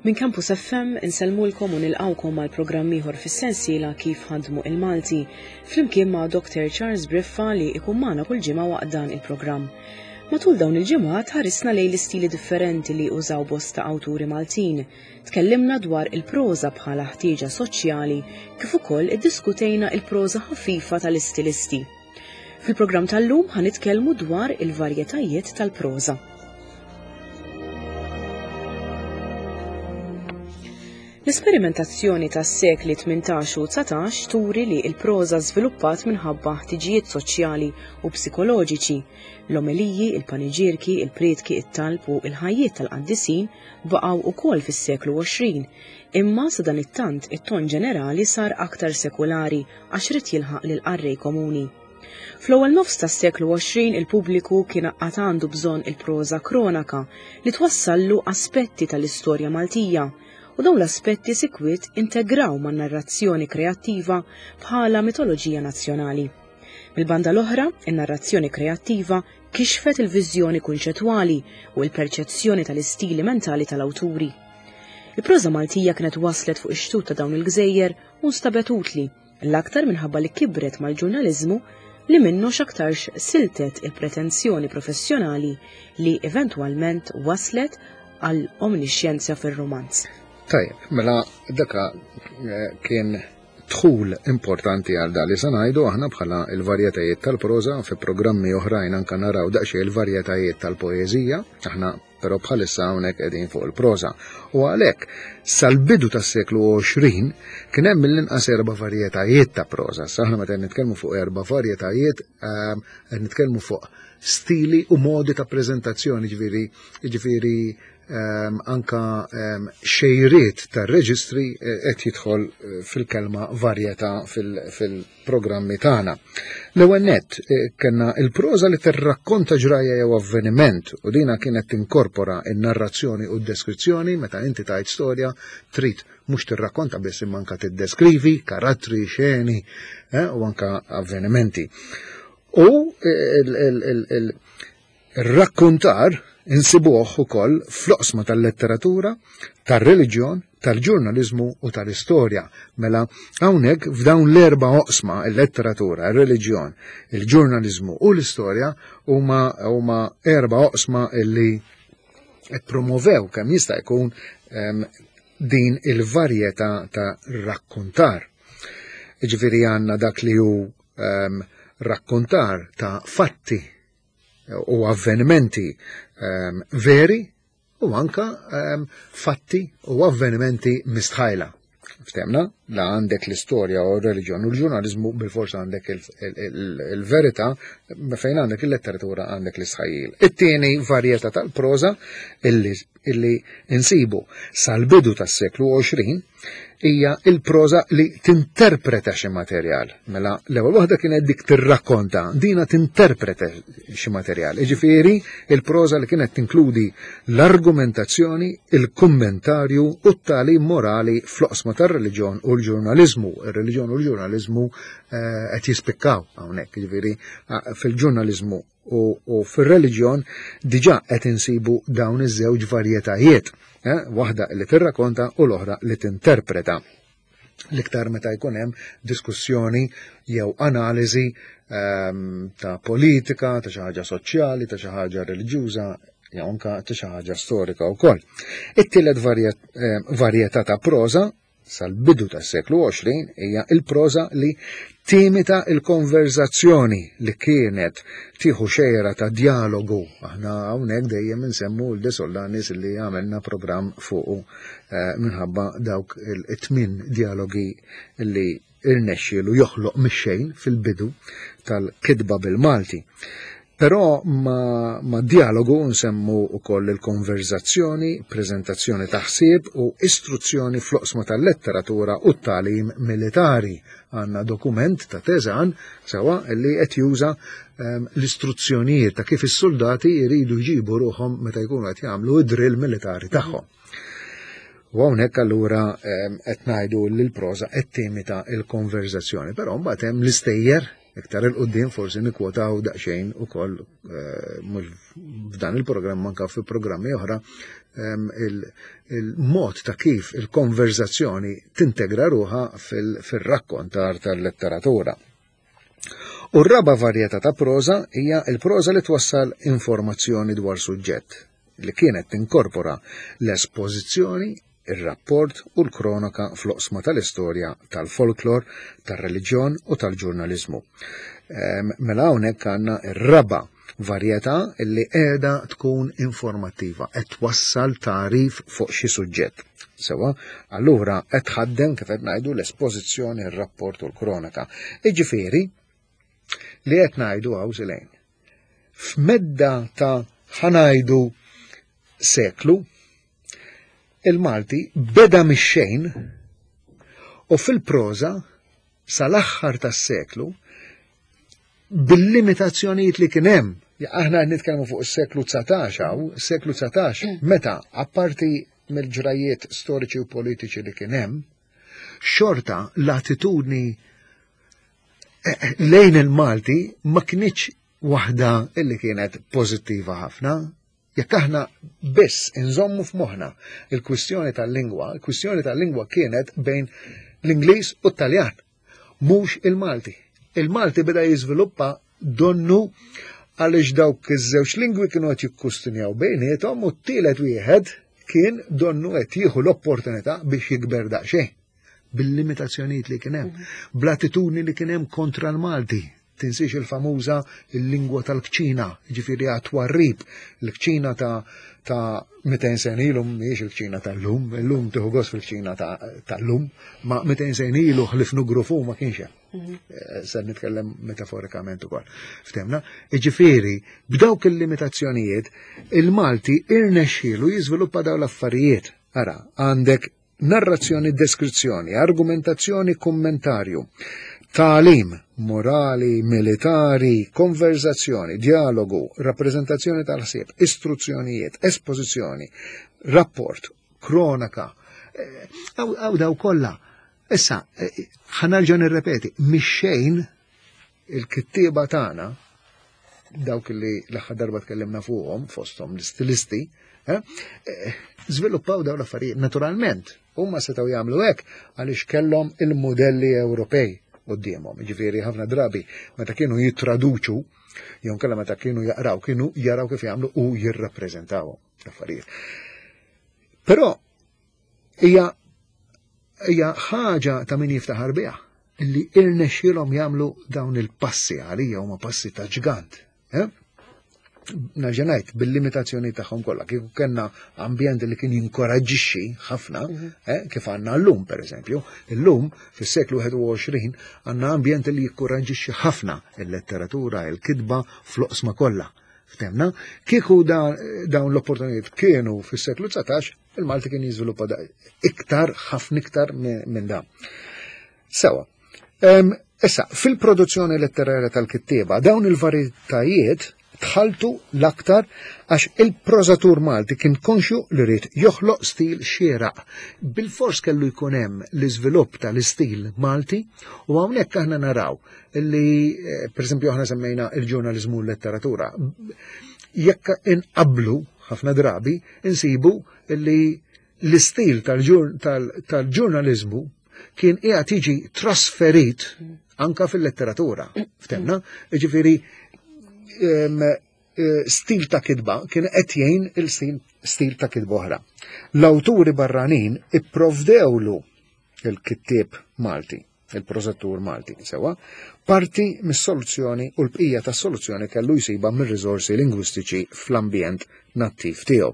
Minn Campus FM insellmulkom u nilqgħukom għal programm ieħor fis-sensiela Kif Ħadmu il-Malti, flimkien ma' Dr. Charles Briffa li ikun magħna kull ġimgħa waqt dan il-programm. Matul dawn il-ġimgħat ħarisna lejn l-istili differenti li użaw bosta awturi Maltin. Tkellimna dwar il-proża bħala ħtieġa soċjali kif ukoll iddiskutejna il-proża ħafifa tal-istilisti. Fil-programm tal-lum ħa nitkellmu dwar il-varjetajiet tal-proża. L-esperimentazzjoni tas-sekli 18 u 19 turi li l-proża żviluppat minħabba ħtiġijiet soċjali u psikoloġiċi. L-omeliji, il-paniġierki, il-prietki, it-talb u l-ħajjiet tal-qaddisin baqgħu wkoll fis-seklu 20, imma sadanittant it-ton ġenerali sar aktar sekulari għax ried jilħaq lill-qarrej komuni. Fl-ewwel nofs tas-seklu 20 il-pubbliku kien għad għandu bżonn il-proża kronaka li twassallu aspetti tal-istorja Maltija u dawn l-aspetti sikwit integraw man-narrazzjoni kreattiva bħala mitoloġija nazzjonali. Mill-banda l-oħra, in-narrazzjoni kreattiva kixfet il-viżjoni kunċettwali u l-perċezzjoni tal-istili mentali tal-awturi. Il-proża Maltija kienet waslet fuq ix-xtut ta' dawn il-gżejjer u nstabet utli, l-aktar minħabba li kibret mal-ġurnaliżmu li minnu x'aktarx siltet il-pretensjoni professjonali li eventwalment waslet għal omnixjenza fir-rumanz. Tajjeb, mela daka eh, kien dħul importanti għal dali se ngħidu aħna bħala il-varjetajiet tal-proża fi programmi oħrajn anka naraw daqsxejn il-varjetajiet tal-poeżija, aħna però bħalissa hawnhekk qegħdin fuq il-proża. U għalhekk sal-bidu tas-seklu 20 kien hemm mill-inqas erba' varjetajiet ta' proża. Sa aħna meta nitkellmu fuq erba' varjetajiet ehm, qed nitkellmu fuq stili u modi ta' preżentazzjoni ġifieri ġifieri ehm, anka ehm, xejriet tar-reġistri eh, qed jidħol eh, fil-kelma varjetà fil programmi tagħna. L-ewwel nett eh, kellna il-proża li tirrakkonta ġrajja jew avveniment u dina kienet tinkorpora n-narrazzjoni u d-deskrizzjoni meta inti tajt storja trid mhux tirrakkonta biss imma anka tiddeskrivi karattri, xeni eh, u anka avvenimenti. U eh, Ir-rakkuntar insibuh ukoll fl-oqsma tal-letteratura, tar-reliġjon, tal-ġurnaliżmu u tal-istorja. Mela hawnhekk f'dawn l-erba' oqsma, il-letteratura, ir-reliġjon, il-ġurnaliżmu u l-istorja huma huma erba' oqsma illi promovew kemm jista' jkun ehm, din il-varjetà ta' rakkuntar. Ġifieri għandna dak li hu ehm, rakkuntar ta' fatti u avvenimenti ehm, veri u anka ehm, fatti u avvenimenti mistħajla. Ftemna, la għandek l-istorja u r-reliġjon u l-ġurnalizmu bil-forsa għandek il-verità, fejn għandek il-letteratura għandek l-istħajjil. It-tieni varjetà tal-proża illi insibu sal-bidu tas-seklu 20 hija il-proża li tinterpreta xi materjal. Mela l-ewwel waħda kienet dik tirrakkonta, dina tinterpreta xi materjal. Jiġifieri il-proża li kienet tinkludi l-argumentazzjoni, il-kummentarju u t-tagħlim morali fl-oqsma tar-reliġjon u l-ġurnaliżmu. Ir-reliġjon u l-ġurnaliżmu eh, qed jispikkaw hawnhekk, jiġifieri fil-ġurnaliżmu u fir-reliġjon diġà qed insibu dawn iż-żewġ varjetajiet, eh, waħda li tirrakonta u l-oħra li tinterpreta. L-iktar meta jkun hemm diskussjoni jew analiżi ehm, ta' politika, ta' xi ħaġa soċjali, ta' xi ħaġa reliġjuża, jew anka ta' xi ħaġa storika wkoll. It-tielet eh, varjetà ta' proża sal-bidu tas-seklu 20 hija l-proża li timita l-konverżazzjoni li kienet tieħu xejra ta' djalogu. Aħna hawnhekk dejjem insemmu l De Sollanis li għamilna programm fuqu eh, minħabba dawk it-tmien djalogi li irnexxielu joħloq mix-xejn fil-bidu tal-kitba bil-Malti. Però ma, ma dialogu nsemmu wkoll il-konverzazzjoni, preżentazzjoni ta' ħsieb u istruzzjoni fl-oqsma tal-letteratura u t-tagħlim militari. Għandna dokument ta' Teżan sewa li qed juża ehm, l-istruzzjonijiet ta' kif is-soldati jridu jġibu ruħhom meta jkunu qed jagħmlu id-drill militari tagħhom. U hawnhekk allura ehm, qed ngħidu li l-proża qed timita l-konverzazzjoni, però mbagħad hemm l-istejjer. Iktar il-qoddim forsi nikwotaw daqsxejn ukoll eh, mhux f'dan il-programm anka fi programmi oħra ehm, il-mod ta' kif il-konverzazzjoni tintegra ruħa fil-rakkontar tal-letteratura. U r-raba varjetà ta' proża hija l-proża li twassal informazzjoni dwar suġġett li kienet tinkorpora l-espożizzjoni ir-rapport u l-kronoka fl-oqsma tal-istorja, tal-folklor, tar-reliġjon u tal-ġurnaliżmu. Ehm, mela hawnhekk għandna r-raba' varjetà li qiegħda tkun informattiva, qed twassal tagħrif fuq xi suġġett. Sewa, allura qed tħaddem kif qed ngħidu l-espożizzjoni, ir-rapport u l-kronaka. Iġifieri li qed ngħidu hawn silejn. F'medda ta' ħanajdu seklu, il-Malti beda mix-xejn u fil-proża sal-aħħar tas-seklu bil-limitazzjonijiet li kien hemm. Aħna qed nitkellmu fuq is-seklu 19 hawn, seklu 19 mm. meta apparti mill-ġrajiet storiċi u politiċi li kien hemm, xorta l-attitudni eh, eh, lejn il-Malti ma kinitx waħda illi kienet pożittiva ħafna. Jekk aħna biss inżommu f'moħħna il-kwistjoni tal-lingwa, il-kwistjoni tal-lingwa kienet bejn l-Ingliż u t-Taljan, mhux il-Malti. Il-Malti beda jiżviluppa donnu għaliex dawk iż-żewġ lingwi kienu qed jikkustinjaw bejniethom u t-tielet wieħed kien donnu qed jieħu l-opportunità biex jikber daqsxejn bil-limitazzjonijiet li kien hemm, mhm. bl-attitudni li kien hemm kontra l-Malti. Tinsiex il-famuża il-lingwa tal-kċina, ġifieri għat-twarrib, l-kċina ta' ta' 200 sen ilu mhijiex il-kċina tal-lum, illum tieħu gost fil-kċina tal-lum, ma 200 sen ilu ħlif nugrufu ma kienx hemm. Mhm. Eh, se nitkellem metaforikament ukoll. Ftemna, ġifieri b'dawk il-limitazzjonijiet il-Malti irnexxielu jiżviluppa dawn l-affarijiet. Ara, għandek narrazzjoni, deskrizzjoni, argumentazzjoni, kummentarju, tagħlim, morali, militari, konverzazzjoni, dialogu, rappreżentazzjoni tal-ħsieb, istruzzjonijiet, espożizzjoni, rapport, kronaka, eh, għaw daw kollha. Issa, eh, ħanarġa nirrepeti, mix-xejn il-kittieba tagħna dawk li l-aħħar darba tkellimna fuqhom fosthom l-istilisti, eh, eh, żviluppaw dawn l-affarijiet naturalment. Huma setgħu jagħmlu hekk għaliex kellhom il-modelli Ewropej quddiemhom. Ġifieri ħafna drabi meta kienu jittraduċu jew kellha meta kienu jaqraw kienu jaraw kif jagħmlu u jirrappreżentawhom l-affarijiet. Però Hija hija ħaġa ta' min jiftaħar biha illi irnexxielhom jagħmlu dawn il-passi għalija huma passi ta' ġgant. Eh? Nerġa' ngħid bil-limitazzjoni tagħhom kollha, kieku kellna ambjent li kien jinkoraġġixxi ħafna, mhm. eh, kif għandna llum pereżempju, illum fis-seklu 21 għandna ambjent li jikkoraġġixxi ħafna il-letteratura, il-kitba fl-oqsma kollha. Ftemna, kieku dawn l-opportunitajiet kienu fis-seklu 19, Il-Malti kien jiżviluppa iktar, ħafna iktar minn dan. Sewa. Issa, fil-produzzjoni letterarja tal-kittieba, dawn il-varjetajiet tħaltu l-aktar għax il-prożatur Malti kien konxju li ried joħloq stil xieraq. Bil-fors kellu jkun hemm l-iżvilupp tal-istil Malti u hawnhekk aħna naraw li, eh, per esempio, aħna semmejna il-ġurnaliżmu u l-letteratura. Jekk inqablu ħafna drabi insibu li l-istil tal-ġurnaliżmu kien qiegħed jiġi trasferit anka fil-letteratura. Ftemna, ġifieri eh, stil ta' kitba kien qed jgħin il-stil ta' kitba oħra. L-awturi barranin ipprovdewlu il-kittieb Malti il-prosettur Malti, sewa, parti mis-soluzzjoni u l-bqija tas-soluzzjoni kellu jsibha mir-riżorsi lingwistiċi fl-ambjent nattiv tiegħu.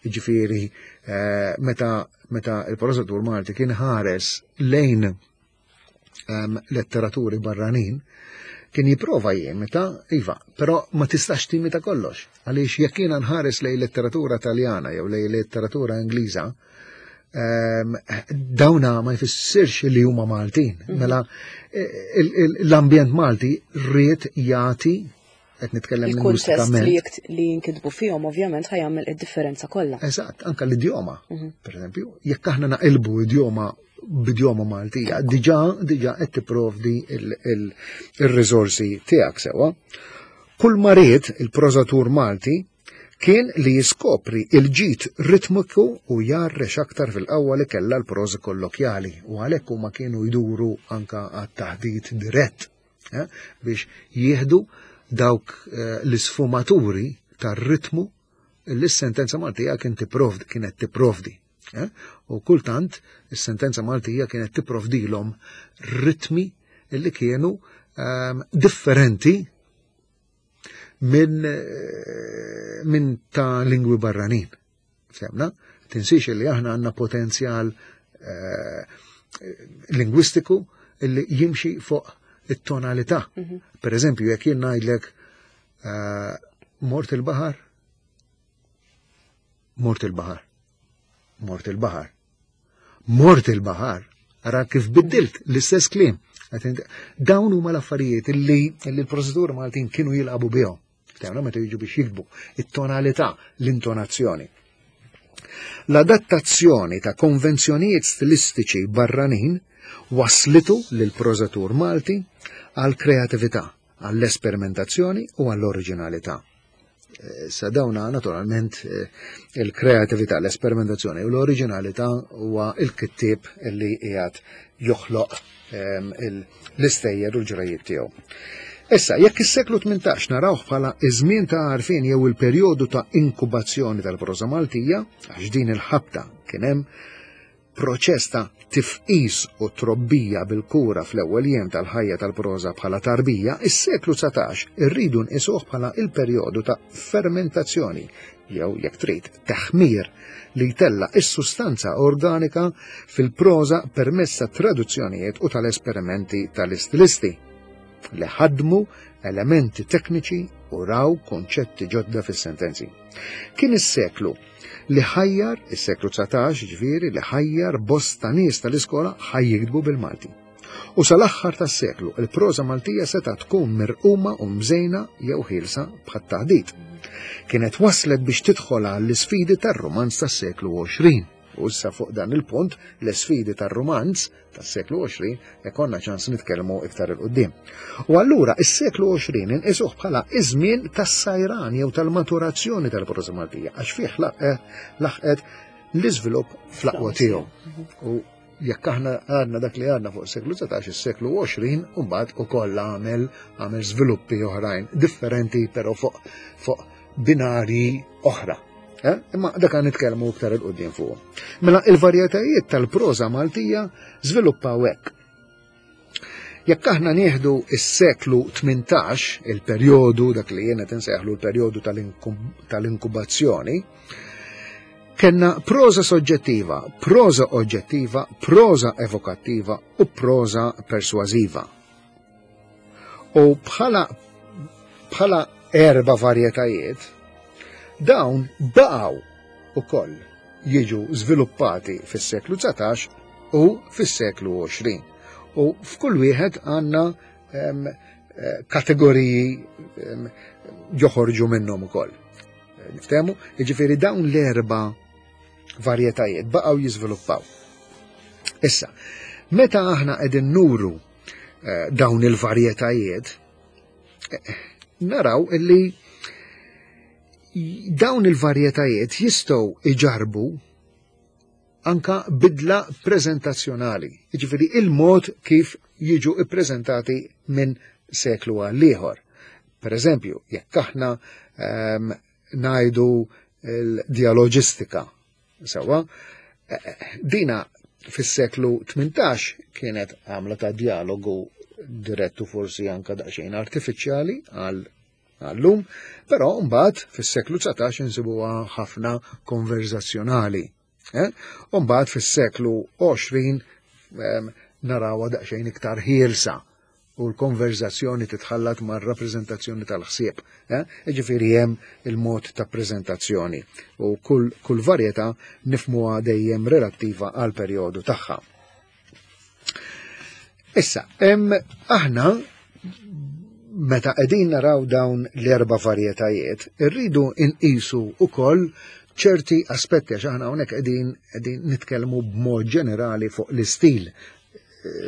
Ġifieri, eh, meta meta il-prosettur Malti kien ħares lejn ehm, letteraturi barranin, kien jiprova jimita, iva, però ma tistax timita kollox. Għaliex jekk jiena nħares lejn letteratura taljana jew lejn letteratura Ingliża, Ehm, dawna ma jfissirx li huma Maltin. Mhm. Mela l-ambjent Malti rrid jagħti qed nitkellem il-kuntest li jinkitbu fihom ovvjament ħajamel id-differenza kollha. Eżatt, anka l-idjoma, mhm. per eżempju, jekk aħna naqilbu idjoma b'idjoma Maltija, diġà diġà qed tipprovdi il-riżorsi tiegħek sewwa. Kull ma ried il-prożatur Malti kien li jiskopri il-ġid ritmiku u jgħarrex aktar fil-qawwa li kellha l-proża kollokjali u għalhekk huma kienu jduru anka għat-taħdit dirett eh, biex jieħdu dawk eh, l-isfumaturi tar-ritmu li s-sentenza Maltija kien tipprovdi kienet tipprovdi. Eh? U kultant is-sentenza Maltija kienet tipprovdilhom ritmi li kienu ehm, differenti minn eh, min ta' lingwi barranin. Semna, tinsiex li aħna għandna potenzjal eh, lingwistiku li jimxi fuq it-tonalità. Mhm. Per eżempju, jekk jien ngħidlek eh, mort il-baħar, mort il-baħar, mort il-baħar. Mort il-baħar, ara kif biddilt l-istess kliem. Dawn huma l-affarijiet li l-proseduri Maltin kienu jilqabu bihom. Ftehmna meta jiġu biex jiktbu it-tonalità, l-intonazzjoni. L-adattazzjoni ta' konvenzjonijiet stilistiċi barranin waslitu lil prożatur Malti għal kreatività, għall-esperimentazzjoni u għall-oriġinalità. Eh, sa dawna naturalment eh, il-kreatività, l-esperimentazzjoni u l-oriġinalità huwa il-kittieb li qiegħed joħloq ehm, l-istejjer u l-ġrajiet tiegħu. Issa, jekk is-seklu 18 narawh bħala iż-żmien ta' għarfien jew il-perjodu ta' inkubazzjoni tal-proża Maltija, għax din il-ħabta kien hemm proċess ta' tifqis u trobbija bil-kura fl-ewwel jiem tal-ħajja tal-proża bħala tarbija, is-seklu 19 irridu nqisuh bħala il-perjodu ta' fermentazzjoni jew jekk trid teħmir li jtella' is-sustanza organika fil-proża permezz ta' traduzzjonijiet u tal-esperimenti tal-istilisti li ħadmu elementi tekniċi u raw konċetti ġodda fis-sentenzi. Kien is-seklu li ħajjar, is-seklu 19 ġifieri, li ħajjar bosta nies tal-iskola ħaj jiktbu bil-Malti. U sal-aħħar tas-seklu, il-proża Maltija seta' tkun mirquma u mżejna jew ħielsa bħat-taħdit. Kienet waslet biex tidħol għall-isfidi tar-rumanz tas-seklu 20. U issa fuq dan il-punt, l-isfidi tar-rumanz tas-seklu 20 ikonna ċans nitkellmu iktar 'il quddiem. U allura is-seklu 20 inqisuh bħala iż-żmien tas-sajran jew tal-maturazzjoni tal-proża Maltija għax fih eh, laħqet l-iżvilupp fl-aqwa tiegħu. U jekk aħna għadna dak li għadna fuq seklu 19, is-seklu 20 u mbagħad ukoll għamel għamel żviluppi oħrajn differenti però fuq fuq binarji oħra. Eh? Imma dak għan nitkellmu iktar il-qudiem fuq. Mela il-varjetajiet tal-proża Maltija żviluppaw hekk. Jekk aħna nieħdu s-seklu 18, il-perjodu dak li jiena tinsejħlu l-perjodu tal-inkubazzjoni, kellna proża soġġettiva, proża oġġettiva, proża evokattiva u proża persważiva. U bħala bħala erba varjetajiet, dawn baqgħu ukoll jiġu żviluppati fis-seklu 19 u fis-seklu 20. U f'kull wieħed għandna eh, kategoriji joħorġu minnhom ukoll. Niftehmu, jiġifieri dawn l-erba' varjetajiet baqgħu jiżviluppaw. Issa, meta aħna qegħdin nuru eh, dawn il-varjetajiet, eh, naraw illi dawn il-varjetajiet jistgħu iġarbu anka bidla prezentazzjonali, jiġifieri il-mod kif jiġu ippreżentati minn seklu għal ieħor. Per eżempju, jekk aħna um, ngħidu l-dialoġistika, Sewa, dina fis-seklu 18 kienet għamla ta' dialogu direttu forsi anka daqsxejn artifiċjali għal għallum, però mbagħad fis-seklu 19 insibuha ħafna konverzazzjonali. Eh? U mbagħad fis-seklu 20 narawha daqsxejn iktar ħielsa u l-konverzazzjoni titħallat ma' rappreżentazzjoni tal-ħsieb. Eh? Ġifieri hemm il-mod ta' preżentazzjoni u kull, kull varjetà nifmuha dejjem relattiva għal perjodu tagħha. Issa, hemm aħna meta qegħdin naraw dawn l-erba' varjetajiet, irridu nqisu ukoll ċerti aspetti għax aħna hawnhekk qegħdin qegħdin nitkellmu b'mod ġenerali fuq l-istil.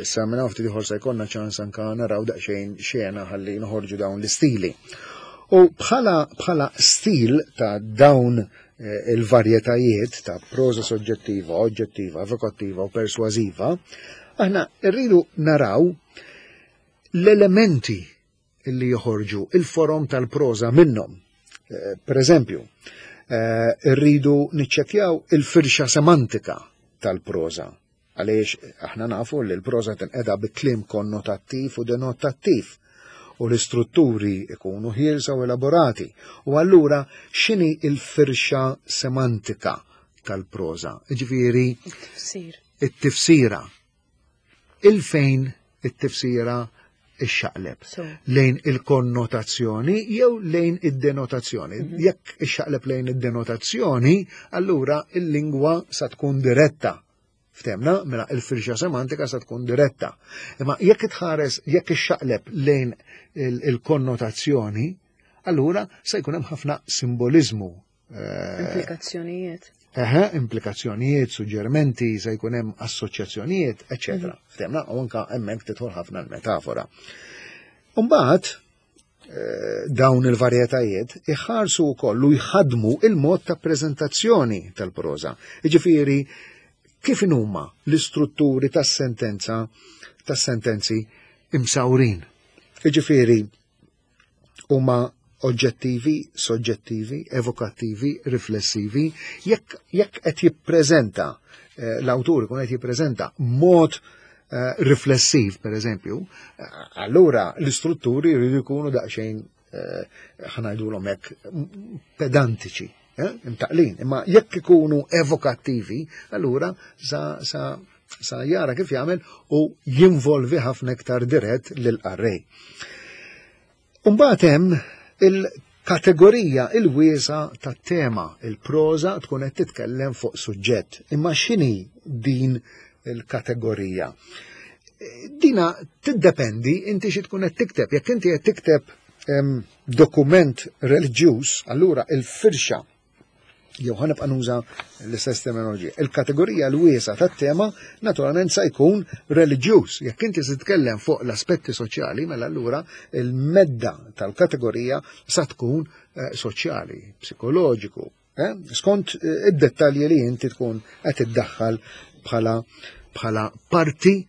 Sa minn hawn ftit ieħor se jkollna ċans anka naraw daqsxejn xena ħalli noħorġu dawn l-istili. U bħala bħala stil ta' dawn eh, il-varjetajiet ta' proża soġġettiva, oġġettiva, evokattiva u persważiva, aħna rridu naraw l-elementi li joħorġu il-forom tal-proża minnhom. Eh, per eżempju, eh, rridu niċċekkjaw il-firxa semantika tal-proża għaliex aħna nafu li l-proża tinqeda bi kliem konnotattiv u denotattiv u l-istrutturi ikunu ħielsa u elaborati. U allura x'inhi il-firxa semantika tal-proża? Ġifieri it-tifsira. Il-fejn it-tifsira ixxaqleb lejn il-konnotazzjoni jew lejn id-denotazzjoni. Mhm. Jekk ixxaqleb lejn id-denotazzjoni, allura il-lingwa sa tkun diretta. Ftemna, mela il-firxa semantika sa tkun diretta. Imma jekk tħares, jekk ixxaqleb lejn il-konnotazzjoni, allura se jkun hemm ħafna simbolizmu Eh, implikazzjonijiet. Eħe, implikazzjonijiet, suġġerimenti, se jkun hemm assoċjazzjonijiet, eċetera. Mhm. Ftemna, u anka hemmhekk tidħol ħafna l-metafora. Umbagħad eh, dawn il-varjetajiet iħarsu wkoll u jħadmu il-mod ta' preżentazzjoni tal-proża. Jiġifieri kif huma l-istrutturi tas-sentenza tas-sentenzi imsawrin. Jiġifieri huma oġġettivi, soġġettivi, evokattivi, riflessivi, jekk jekk qed jippreżenta eh, l-awtur ikun qed jippreżenta mod eh, riflessiv, per eżempju, eh, allura l-istrutturi jridu jkunu daqsxejn ħanajdulhom hekk pedantiċi, imtaqlin. Imma jekk ikunu evokattivi, allura sa, sa, sa jara kif jagħmel u jinvolvi ħafna iktar dirett lil qarrej. Umbagħad hemm il-kategorija il-wiesa tat-tema, il-proża tkun qed titkellem fuq suġġett. Imma x'inhi din il-kategorija? Dina tiddependi inti xi tkun qed tikteb. Jekk inti qed tikteb dokument reliġjuż, allura il-firxa jew ħanibqa' nuża l-istess terminoloġija. Il-kategorija l-wiesa tat-tema naturalment sa jkun reliġjuż. Jekk inti se titkellem fuq l-aspetti soċjali, mela allura il-medda tal-kategorija sa tkun eh, soċjali, psikoloġiku, eh? skont eh, id-dettalji li inti tkun qed iddaħħal bħala bħala parti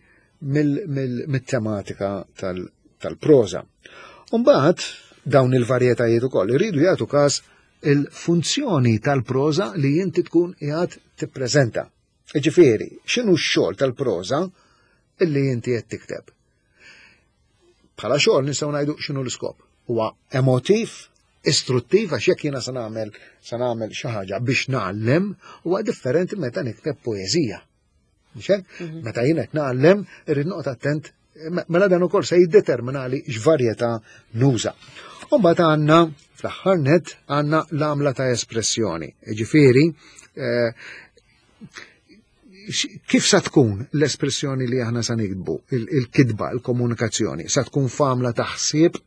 mill-tematika tal-proża. Umbagħad dawn il-varjetajiet ukoll iridu jagħtu każ il-funzjoni tal-proża li inti tkun qiegħed tippreżenta. Ġifieri, x'inhu x-xogħol tal-proża illi inti qed tikteb? Bħala xogħol nistgħu ngħidu x'inhu l-iskop. Huwa emotiv, istruttiv għax jekk jiena se nagħmel se nagħmel xi ħaġa biex ngħallem huwa differenti meta nikteb poeżija. Mhm. Meta jien qed ngħallem irrid noqgħod attent mela dan ukoll se jiddetermina li x'varjetà nuża. U mbagħad għandna fl-aħħar net għandna l-għamla ta' espressjoni. Ġifieri, eh, kif sa tkun l-espressjoni li aħna sa nikdbu, il-kitba, il-komunikazzjoni, sa tkun f'għamla ta' ħsieb,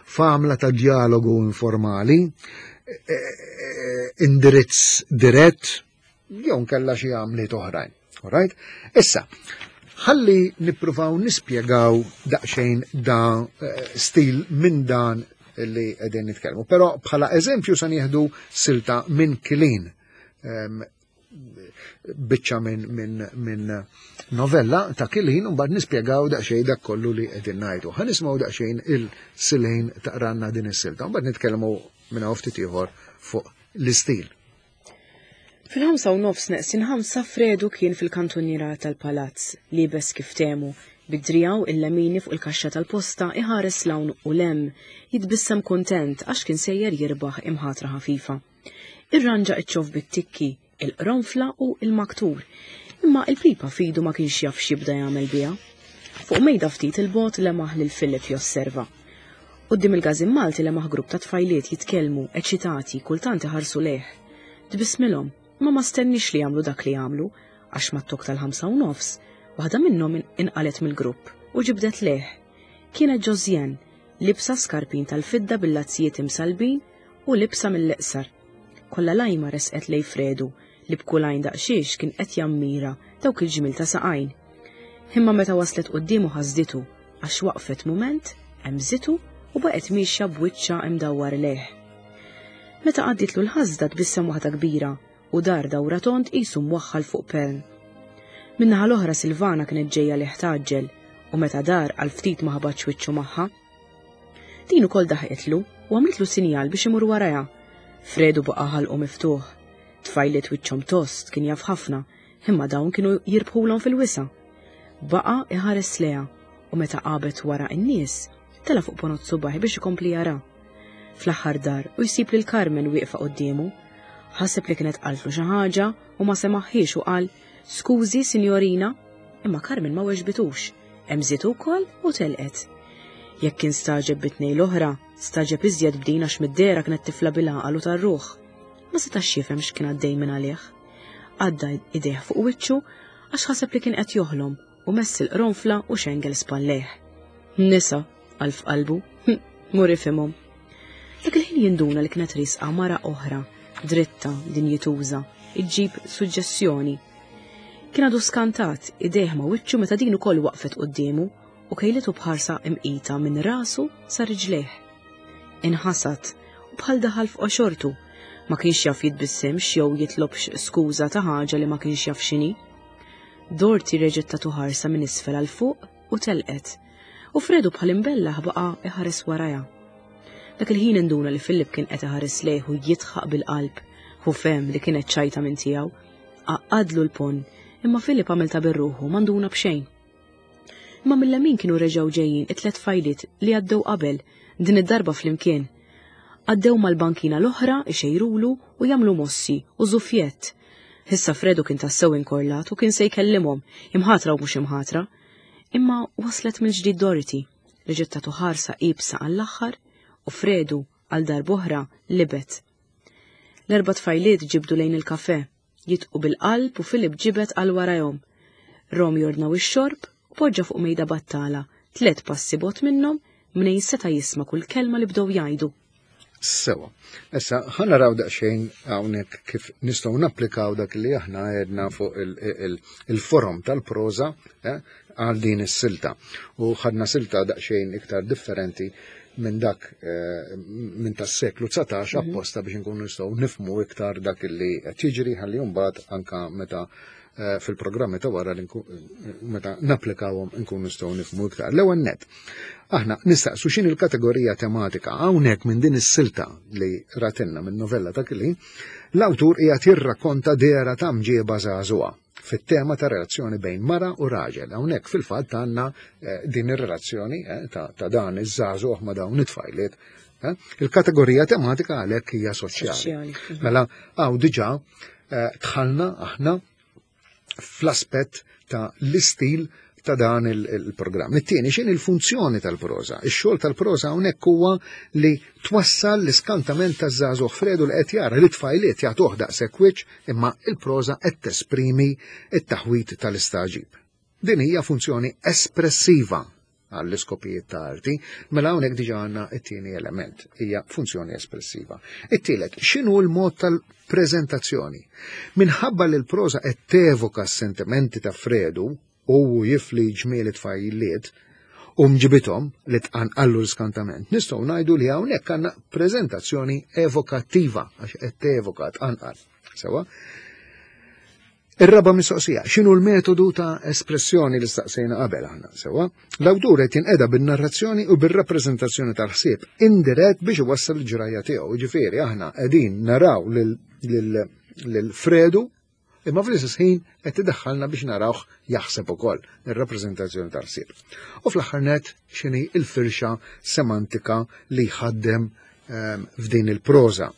f'għamla ta' dialogu informali, eh, eh, indirizz dirett, jew nkella xi għamliet oħrajn. Alright? Issa, ħalli nippruvaw nispjegaw daqsxejn da eh, stil minn dan li qegħdin nitkellmu. Però bħala eżempju se nieħdu silta minn Kilin ehm, biċċa minn min, min novella ta' Kilin u mbagħad nispjegaw daqsxejn dak kollu li qegħdin ngħidu. Ħa nisimgħu daqsxejn il-silejn taqranna din is-silta u mbagħad nitkellmu minn hawn ftit ieħor fuq l-istil. Fil-ħamsa u nofs neqsin ħamsa Fredu kien fil-kantuniera tal-palazz, liebes kif temu, bi driegħu il-lemini fuq il-kaxxa tal-posta iħares 'l hawn u 'l hemm, jitbissem kuntent għax kien sejjer jirbaħ imħatra ħafifa. Irranġa ċ-ċoff bit-tikki, il-qronfla u l-maktur, imma il-pipa f'idu ma kienx jaf x'jibda jagħmel biha. Fuq mejda ftit 'il bogħod lemaħ lil Philip josserva. Quddiem il-Każin Malti lemaħ grupp ta' tfajliet jitkellmu, eċitati, kultant iħarsu lejh. Tbissmilhom, imma ma stenniex li jagħmlu dak li għamlu, għax mat-tokk tal-ħamsa u nofs, waħda minnhom inqalgħet mill-grupp u ġibdet lejh. Kienet Josiane, libsa skarpin tal-fidda bil-lazzijiet imsallbin u libsa mill-iqsar. Kollha lajma resqet lejn Fredu li b'kull għajn daqsxiex kien qed jammira dawk il-ġmiel ta' saqajn. Imma meta waslet quddiemu ħasditu għax waqfet mument, hemżitu u baqgħet miexja b'wiċċha imdawwar lejh. Meta għaddietlu l-ħasda tbissem waħda kbira u dar dawra tond qisu mwaħħal fuq pern. Min-naħa l-oħra Silvana kienet ġejja lejh tgħaġġel u meta dar għal ftit ma ħabatx wiċċu magħha. Din ukoll daħqitlu u għamlitlu sinjal biex imur warajha. Fredu baqa' ħalqu miftuħ. Tfajliet wiċċhom tost kien jaf ħafna, imma dawn kienu jirbħulhom fil-wisa'. Baqa' iħares lejha u meta qabet wara n-nies, tela' fuq ponot subaħi biex ikompli jara. Fl-aħħar dar u jsib lil Carmen wieqfa quddiemu. Ħaseb li kienet qaltlu xi ħaġa u ma semaħħiex u qal, "Skużi, sinjorina." Imma Carmen ma weġbitux. Hemżitu wkoll u telqet. Jekk kien stagħġeb bit-tnejn l-oħra, stagħġeb iżjed b'din għax mid-dehra kienet tifla bil-għaqal u tar-ruħ. Ma setax jifhem x'kien għaddej minn għalih. Għadda idejh fuq wiċċu għax ħaseb li kien qed joħlom u mess il-qronfla u xengel spallejh. Nisa, qal f'qalbu, hm, mur ifhimhom. Dak il-ħin jinduna li kienet risqa mara oħra, dritta, dinjituża, iġġib suġġessjoni. Kien għadu skantat, idejh ma' wiċċu meta din ukoll waqfet quddiemu u kejlitu b'ħarsa imqita minn rasu sa riġlejh. Inħasad u bħal daħal f'qoxortu, ma kienx jaf jitbissimx jew jitlobx skuża ta' ħaġa li ma kienx jaf x'inhi. Dorothy reġgħet tatu ħarsa minn isfel għal fuq u telqet. U Fredu bħal imbellaħ baqa' iħares warajha. Dak il-ħin induna li Philip kien qed iħares lejh u jidħaq bil-qalb. Hu fehem li kienet ċajta minn tiegħu. Għaqqadlu l-ponn, imma Philip għamel ta' birruħu ma nduna b'xejn. Imma mill-lemin kienu reġgħu ġejjin it-tlet tfajliet li għaddew qabel, din id-darba flimkien. Għaddew mal-bankina l-oħra ixejrulu u jagħmlu mossi u żufjett. Issa Fredu kien tassew inkorlat u kien se jkellimhom, imħatra u mhux imħatra. Imma waslet mill-ġdid Dorothy, li ġiet tagħtu ħarsa iebsa għall-aħħar u Fredu għal darb'oħra libet. L-erba' tfajliet ġibdu lejn il-kafè, jitqu bil-qalb u Philip ġibed għal warajhom. Rom jordnaw ix-xorb u poġġa fuq mejda battala, tlet passi bot minnhom mnejn seta' jisma' kull kelma li bdew jgħidu. Sewa. Issa, ħa naraw daqsxejn hawnhekk kif nistgħu napplikaw dak li aħna għedna fuq il-forom tal-proża eh, għal din is-silta. U ħadna silta daqsxejn iktar differenti minn dak eh, minn tas-seklu 19 mhm. apposta biex nkunu nistgħu nifmu iktar dak li qed jiġri ħalli mbagħad anka meta Eh, fil-programmi ta' wara li meta napplikawhom nkunu nistgħu nifhmu iktar. L-ewwel net, aħna nistaqsu x'in il-kategorija tematika hawnhekk minn din is-silta li ratilna minn novella ta' Kili, l-awtur qiegħed jirrakkonta dehra ta' mġieba żagħżugħa fit-tema ta' relazzjoni bejn mara u raġel. Hawnhekk fil-fatt għandna eh, din ir-relazzjoni eh, ta' dan iż-żagħżugħ ma' dawn it-tfajliet. Il-kategorija tematika għalhekk hija soċjali. Mela hawn diġà dħalna aħna fl-aspett ta' l-istil ta' dan il-programm. It-tieni x'in il-funzjoni tal-proża. Ix-xogħol tal-proża hawnhekk huwa li twassal l-iskantament taż-żagħżugħ Fredu li qed jara li tfajliet jagħtuh daqshekk wiċċ imma il-proża qed tesprimi t-taħwid tal-istagħġib. Din hija funzjoni espressiva għall-iskopijiet ta' arti, mela hawnhekk diġà għandna t-tieni element, hija funzjoni espressiva. It-tielet, x'inhu l-mod tal-preżentazzjoni? Minħabba li l-proża qed tevoka s-sentimenti ta' Fredu u jifli ġmiel it-tfajliet u mġibithom li tqanqallu l-skantament, nistgħu ngħidu li hawnhekk għandna preżentazzjoni evokattiva għax qed tevoka tqanqal. Sewa? Ir-raba' mistoqsija, x'inhu l-metodu ta' espressjoni li staqsejna qabel aħna, sewwa? L-awtur qed jinqeda bin-narrazzjoni u bir-rappreżentazzjoni tal-ħsieb indirett biex iwassal il-ġrajja tiegħu. Ġifieri aħna qegħdin naraw lil Fredu imma fl-istess ħin qed idaħħalna biex narawh jaħseb ukoll ir-rappreżentazzjoni tal-ħsieb. U fl-aħħar net x'inhi l-firxa semantika li jħaddem ehm, f'din il-proża.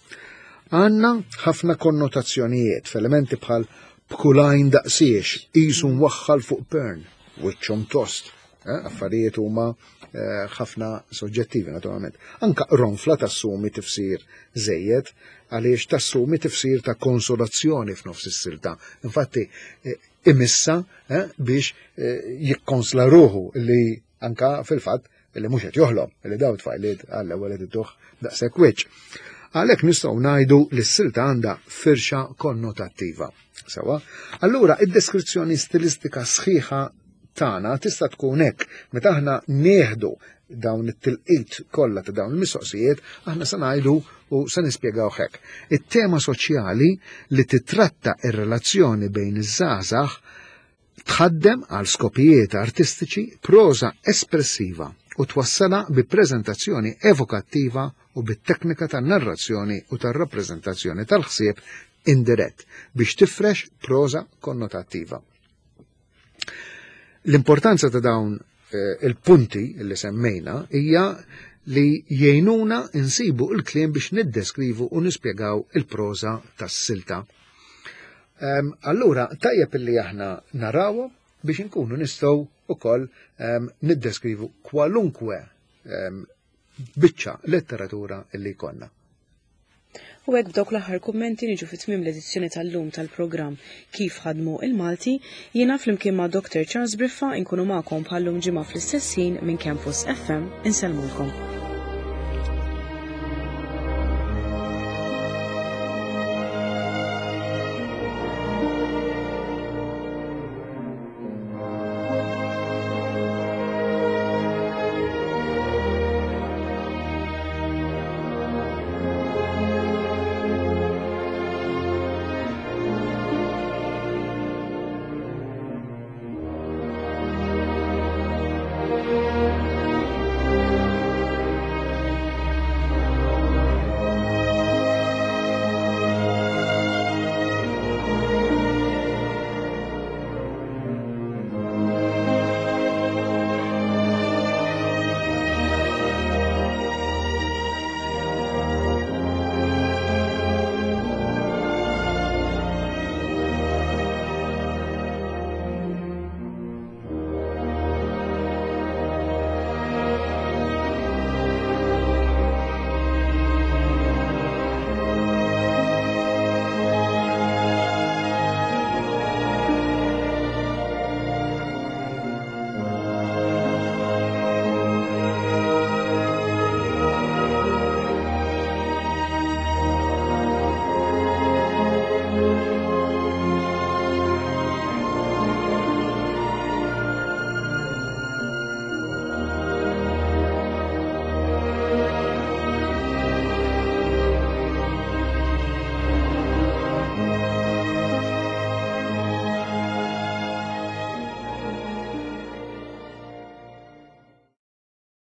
Għanna ħafna konnotazzjonijiet f'elementi bħal b'kulajn daqsiex, qisu mwaħħal fuq pern, wiċċhom tost, eh, affarijiet huma eh, ħafna soġġettivi naturalment. Anka ronfla tassumi tifsir żejjed għaliex tassumi tifsir ta' konsolazzjoni f'nofs is-silta. Infatti eh, imissa biex jikkonsla ruħu li Anka fil-fatt li mhux qed joħlom li dawn tfajliet għall-ewwel qed idduh daqshekk wiċċ. Għalhekk nistgħu ngħidu li s-silta għandha firxa konnotattiva. Sewa, allura id-deskrizzjoni stilistika sħiħa tagħna tista' tkun hekk meta aħna nieħdu dawn it-tilqit kollha ta' dawn il-mistoqsijiet, aħna se ngħidu u se nispjegaw hekk. It-tema soċjali li titratta ir-relazzjoni bejn iż-żgħażagħ tħaddem għal skopijiet artistiċi proża espressiva u twassalha bi preżentazzjoni evokattiva u bit-teknika tan-narrazzjoni u tar-rappreżentazzjoni tal-ħsieb indirett biex tifrex proża konnotattiva. L-importanza ta' dawn eh, il-punti li semmejna hija li jgħinuna insibu il-kliem biex niddeskrivu u nispjegaw il-proża tas-silta. Ehm, allura, tajjeb li aħna narawhom biex inkunu nistgħu ukoll ehm, niddeskrivu kwalunkwe ehm, biċċa letteratura li jkollna. U hekk b'dawk l-aħħar kummenti niġu fi tmiem l-edizzjoni tal-lum tal-programm Kif Ħadmu il-Malti, jiena flimkien ma' Dr. Charles Briffa inkunu magħkom bħallum ġimgħa fl-istess ħin minn Campus FM insellmulkom.